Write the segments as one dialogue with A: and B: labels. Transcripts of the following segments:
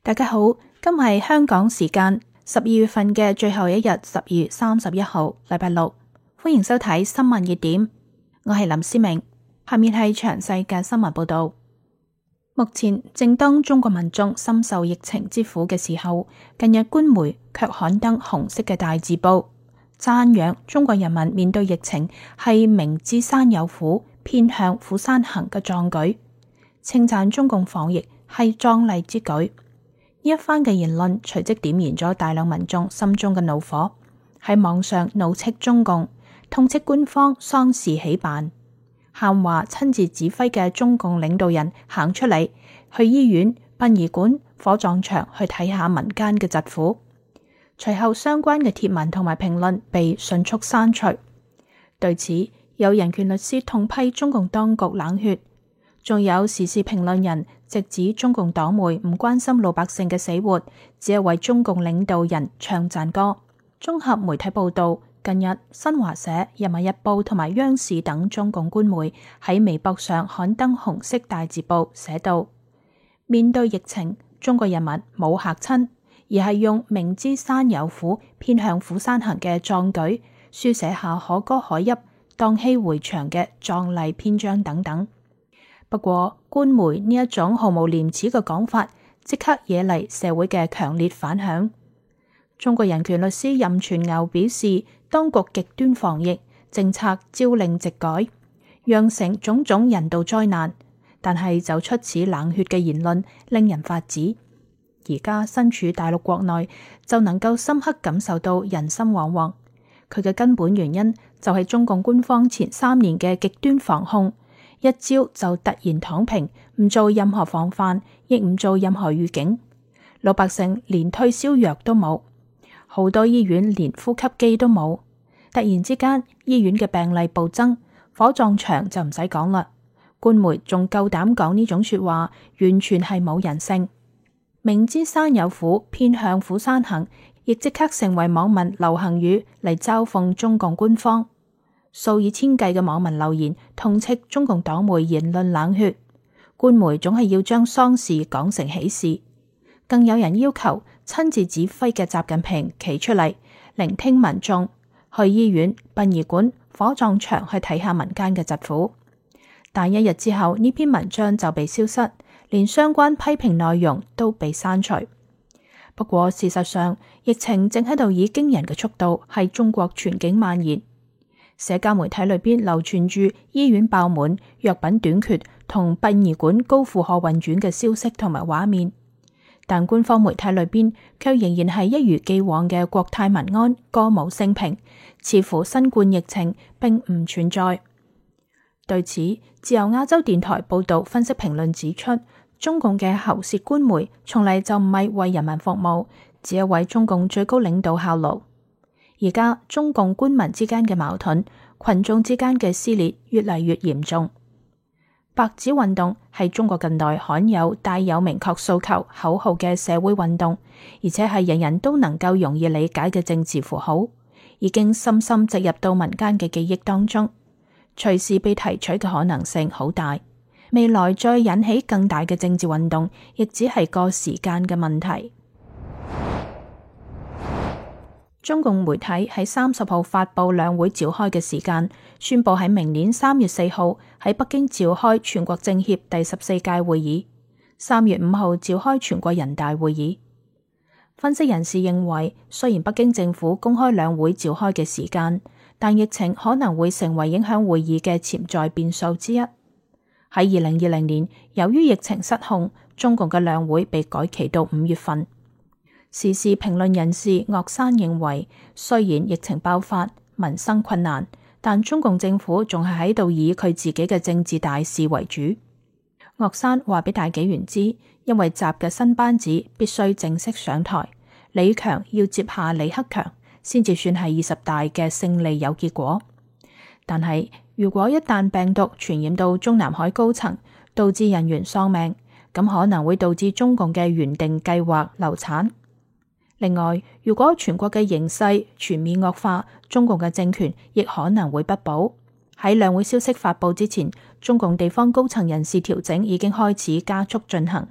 A: 大家好，今日係香港時間12月份嘅最後一日，12月31號，禮拜六，歡迎收睇新聞熱點。我係林思明，下面係詳細嘅新聞報道。目前正當中國民眾深受疫情之苦嘅時候，近日官媒卻刊登紅色嘅大字報，讚揚中國人民面對疫情係明知山有虎，偏向虎山行嘅壯舉，稱讚中共防疫係壯麗之舉。呢一番嘅言論隨即點燃咗大量民眾心中嘅怒火，喺網上怒斥中共，痛斥官方喪事起辦，喊話親自指揮嘅中共領導人行出嚟，去醫院、殯儀館、火葬場去睇下民間嘅疾苦。隨後相關嘅貼文同埋評論被迅速刪除。對此，有人權律師痛批中共當局冷血，仲有時事評論人直指中共黨媒唔關心老百姓嘅死活，只係為中共領導人唱讚歌。綜合媒體報道，近日新華社、人民日報同埋央視等中共官媒喺微博上刊登紅色大字報，寫道：面對疫情，中國人民冇嚇親，而係用明知山有虎，偏向虎山行嘅壯舉，書寫下可歌可泣、蕩氣迴腸嘅壯麗篇章等等。不過，官媒呢一種毫無廉恥嘅講法，即刻惹嚟社會嘅強烈反響。中國人權律師任傳牛表示，當局極端防疫政策朝令夕改，釀成種種人道災難，但係就出此冷血嘅言論，令人髮指。而家身處大陸國內，就能夠深刻感受到人心惶惶。佢嘅根本原因就係中共官方前3年嘅極端防控。一朝就突然躺平，唔做任何防範，亦唔做任何預警，老百姓連退燒藥都冇，好多醫院連呼吸機都冇。突然之間，醫院嘅病例暴增，火葬場就唔使講啦。官媒仲夠膽講呢種說話，完全係冇人性。明知山有虎，偏向虎山行，亦即刻成為網民流行語嚟嘲諷中共官方。數以千計嘅網民留言痛斥中共黨媒言論冷血，官媒總係要將喪事講成喜事。更有人要求親自指揮嘅習近平企出嚟聆聽民眾，去醫院、殯儀館、火葬場去睇下民間嘅疾苦。但一日之後，呢篇文章就被消失，連相關批評內容都被刪除。不過事實上，疫情正喺度以驚人嘅速度喺中國全境蔓延。社交媒體裏邊流傳住醫院爆滿、藥品短缺同殯儀館高負荷運轉嘅消息同埋畫面，但官方媒體裏邊卻仍然係一如既往嘅國泰民安、歌舞升平，似乎新冠疫情並唔存在。對此，自由亞洲電台報道分析評論指出，中共嘅喉舌官媒從嚟就唔係為人民服務，只係為中共最高領導效勞。而家中共官民之間嘅矛盾、群眾之間嘅撕裂越嚟越嚴重。白紙運動係中國近代罕有帶有明確訴求口號嘅社會運動，而且係人人都能夠容易理解嘅政治符號，已經深深植入到民間嘅記憶當中，隨時被提取嘅可能性好大。未來再引起更大嘅政治運動，亦只係個時間嘅問題。中共媒體喺30號發佈兩會召開嘅時間，宣布喺明年3月4號喺北京召開全國政協第14屆會議，3月5號召開全國人大會議。分析人士認為，雖然北京政府公開兩會召開嘅時間，但疫情可能會成為影響會議嘅潛在變數之一。喺2020年，由於疫情失控，中共嘅兩會被改期到5月份。時事評論人士岳山認為，雖然疫情爆發、民生困難，但中共政府仲係喺度以佢自己嘅政治大事為主。岳山話俾大紀元知，因為習嘅新班子必須正式上台，李強要接下李克強，先至算係20大嘅勝利有結果。但係如果一旦病毒傳染到中南海高層，導致人員喪命，咁可能會導致中共嘅原定計劃流產。另外，如果全國嘅形勢全面惡化，中共嘅政權亦可能會不保。喺兩會消息發佈之前，中共地方高層人事調整已經開始加速進行。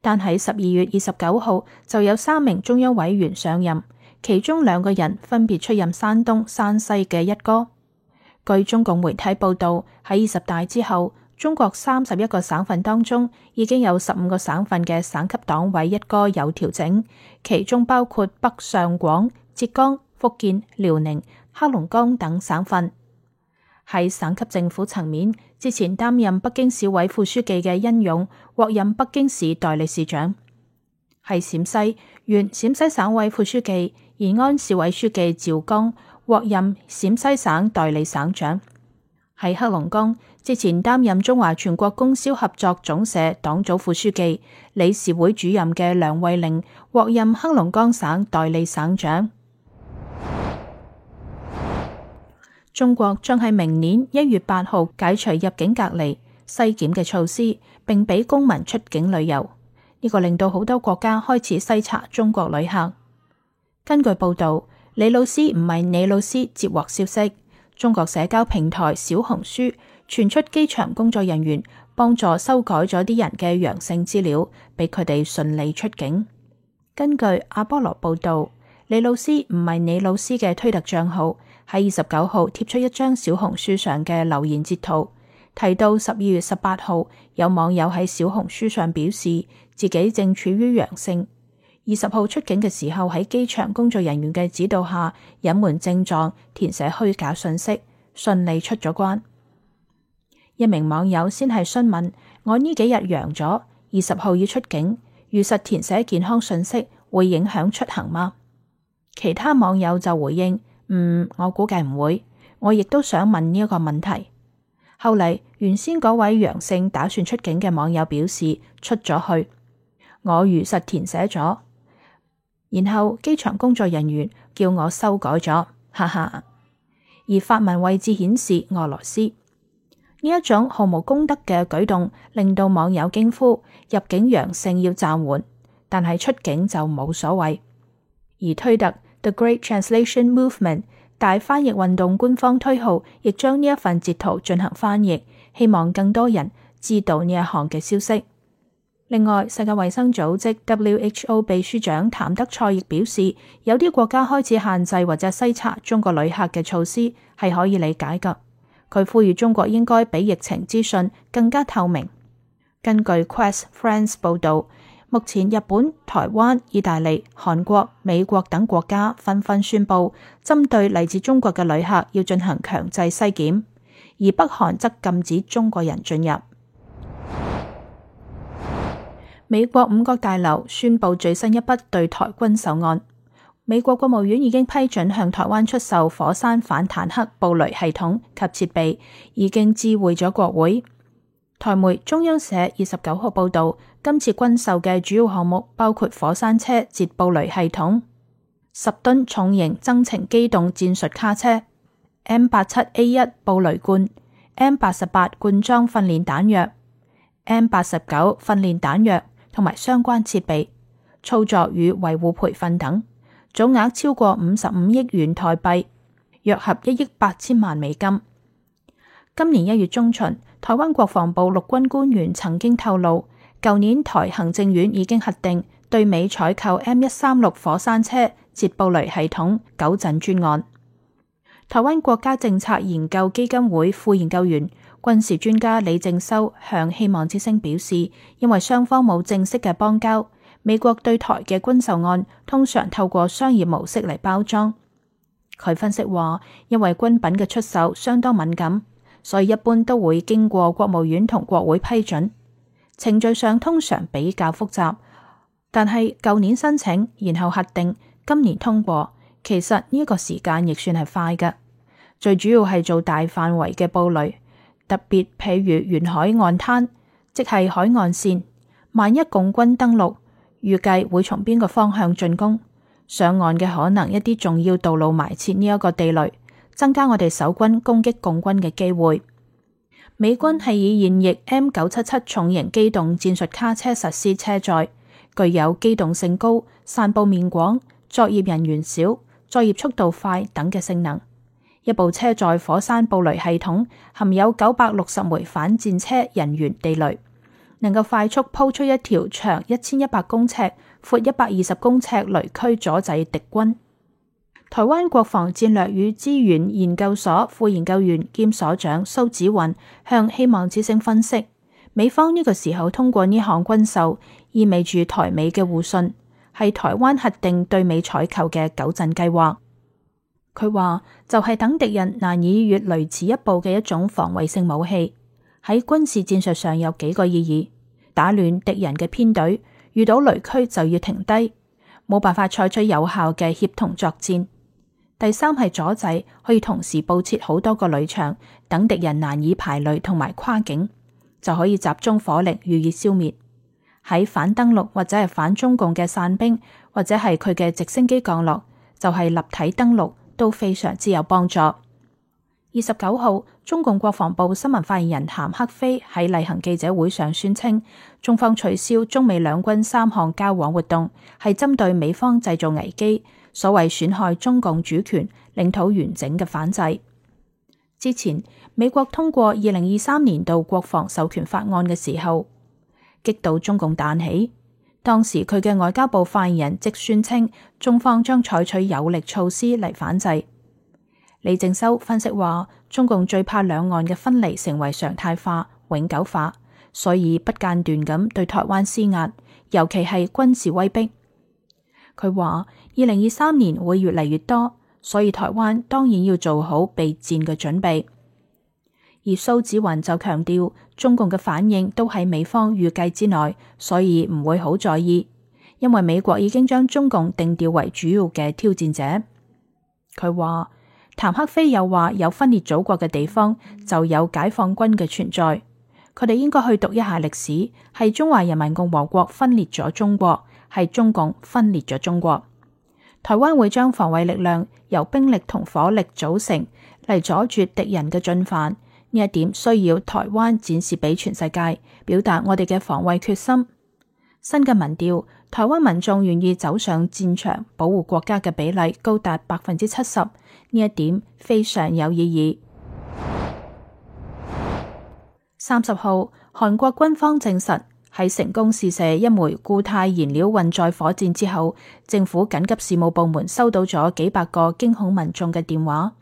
A: 但喺12月29號就有3名中央委員上任，其中2個人分別出任山東、山西嘅一哥。據中共媒體報道，喺20大之後，中國31個省份當中已經有15個省份嘅省級黨委一哥有調整，其中包括北上廣、浙江、福建、遼寧、黑龍江等省份。喺省級政府層面，之前擔任北京市委副書記嘅殷勇獲任北京市代理市長。喺陝西，原陝西省委副書記、延安市委書記趙剛獲任陝西省代理省長。喺黑龍江，之前擔任中華全國供銷合作總社黨組副書記、理事會主任嘅梁慧玲獲任黑龍江省代理省長。中國將喺明年1月8號解除入境隔離、篩檢嘅措施，並俾公民出境旅遊。呢個令到好多國家開始篩查中國旅客。根據報道，李老師唔係你老師接獲消息，中國社交平台小紅書傳出機場工作人員幫助修改咗啲人嘅陽性資料，俾佢哋順利出境。根據阿波羅報道，李老師唔係你老師嘅推特賬號喺29號貼出一張小紅書上嘅留言截圖，提到12月18號有網友喺小紅書上表示自己正處於陽性，20號出境嘅時候喺機場工作人員嘅指導下隱瞞症狀，填寫虛假信息，順利出咗關。一名網友先係詢問，我呢幾日陽咗，20號要出境，如實填寫健康信息會影響出行嗎？其他網友就回應，我估計唔會，我亦都想問呢一個問題。後嚟原先嗰位陽性打算出境嘅網友表示出咗去，我如實填寫咗，然後機場工作人員叫我修改咗，哈哈。而發文位置顯示俄羅斯，呢一種毫無公德嘅舉動令到網友驚呼入境陽性要暫緩，但係出境就冇所謂。而推特 The Great Translation Movement 大翻譯運動官方推號亦將呢一份截圖進行翻譯，希望更多人知道呢一項嘅消息。另外，世界衛生組織 WHO 秘書長譚德塞亦表示，有啲國家開始限制或者篩查中國旅客嘅措施係可以理解㗎。佢呼籲中國應該比疫情資訊更加透明。根據 Quest France 報導，目前日本、台灣、意大利、韓國、美國等國家紛紛宣布針對嚟自中國嘅旅客要進行強制篩檢，而北韓則禁止中國人進入。美國五角大樓宣布最新一筆對台軍售案，美國國務院已經批准向台灣出售火山反坦克布雷系統及設備，已經知會咗國會。台媒中央社29號報道，今次軍售嘅主要項目包括火山車捷布雷系統、10噸重型增程機動戰術卡車、M87A1 布雷罐、M88 罐裝訓練彈藥、M89 訓練彈藥同埋相關設備、操作與維護培訓等，總額超過55億元台幣，約合1億8千萬美金。今年1月中旬，台灣國防部陸軍官員曾經透露，舊年台行政院已經核定對美採購 M136 火山車捷布雷系統糾陣專案。台灣國家政策研究基金會副研究員、軍事專家李正修向希望之聲表示，因為雙方冇正式嘅邦交，美國對台嘅軍售案通常透過商業模式嚟包裝。佢分析話，因為軍品嘅出售相當敏感，所以一般都會經過國務院同國會批准，程序上通常比較複雜。但係舊年申請，然後核定，今年通過，其實呢個時間亦算係快嘅。最主要係做大範圍嘅布雷，特別譬如沿海岸灘，即係海岸線。萬一共軍登陸，預計會從邊個方向進攻？上岸嘅可能一啲重要道路埋設呢一個地雷，增加我哋守軍攻擊共軍嘅機會。美軍係以現役 M977 重型機動戰術卡車實施車載，具有機動性高、散佈面廣、作業人員少、作業速度快等嘅性能。一部車載火山布雷系統含有960枚反戰車人員地雷，能夠快速鋪出一條長1100公尺、闊120公尺雷區，阻滯敵軍。台灣國防戰略與資源研究所副研究員兼所長蘇紫雲向希望之聲分析，美方呢個時候通過呢項軍售，意味住台美嘅互信，係台灣核定對美採購嘅糾陣計劃。佢話就係等敵人難以越雷池一步嘅一種防衛性武器，喺軍事戰術上有幾個意義：打亂敵人嘅編隊，遇到雷區就要停低，冇辦法採取有效嘅協同作戰。第三係阻滯，可以同時佈設好多個雷場，等敵人難以排雷同埋跨境，就可以集中火力予以消滅。喺反登陸或者係反中共嘅散兵，或者係佢嘅直升機降落，就係立體登陸，都非常之有幫助。29號，中共國防部新聞發言人譚克非喺例行記者會上宣稱，中方取消中美兩軍3項交往活動，係針對美方製造危機，所謂損害中共主權、領土完整嘅反制。之前美國通過2023年度國防授權法案嘅時候，激到中共彈起。當時佢嘅外交部發言人即宣稱，中方將採取有力措施嚟反制。李正修分析話，中共最怕兩岸嘅分離成為常態化、永久化，所以不間斷咁對台灣施壓，尤其係軍事威逼。佢話2023年會越嚟越多，所以台灣當然要做好備戰嘅準備。而蘇紫雲就強調，中共嘅反應都喺美方預計之內，所以唔會好在意，因為美國已經將中共定調為主要嘅挑戰者。佢話譚克非又話，有分裂祖國嘅地方就有解放軍嘅存在，佢哋應該去讀一下歷史，係中華人民共和國分裂咗中國，係中共分裂咗中國。台灣會將防衛力量由兵力同火力組成，嚟阻絕敵人嘅進犯。呢一點需要台灣展示俾全世界，表達我哋嘅防衛決心。新嘅民調，台灣民眾願意走上戰場保護國家嘅比例高達70%，呢一點非常有意義。30號，韓國軍方證實喺成功試射一枚固態燃料運載火箭之後，政府緊急事務部門收到咗幾百個驚恐民眾嘅電話。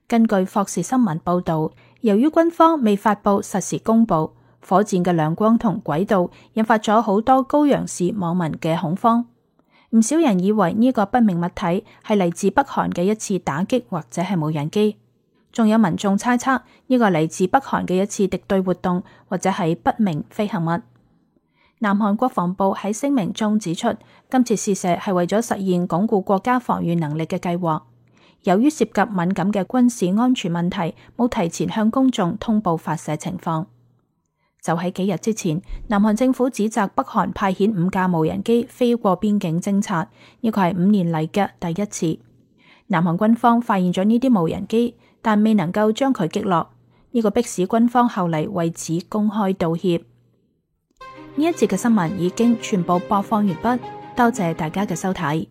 A: 根據霍士新聞報道，由於軍方未發佈實時公佈，火箭嘅亮光同軌道引發咗好多高陽市網民嘅恐慌。唔少人以為呢個不明物體係嚟自北韓嘅一次打擊或者係無人機，仲有民眾猜測呢個嚟自北韓嘅一次敵對活動或者係不明飛行物。南韓國防部喺聲明中指出，今次試射係為咗實現鞏固國家防禦能力嘅計劃。由於涉及敏感嘅軍事安全問題，冇提前向公眾通報發射情況。就喺幾日之前，南韓政府指責北韓派遣5架無人機飛過邊境偵察，呢個係5年嚟嘅第一次。南韓軍方發現咗呢啲無人機，但未能夠將佢擊落，呢個迫使軍方後嚟為此公開道歉。呢一節嘅新聞已經全部播放完畢，多謝大家嘅收睇。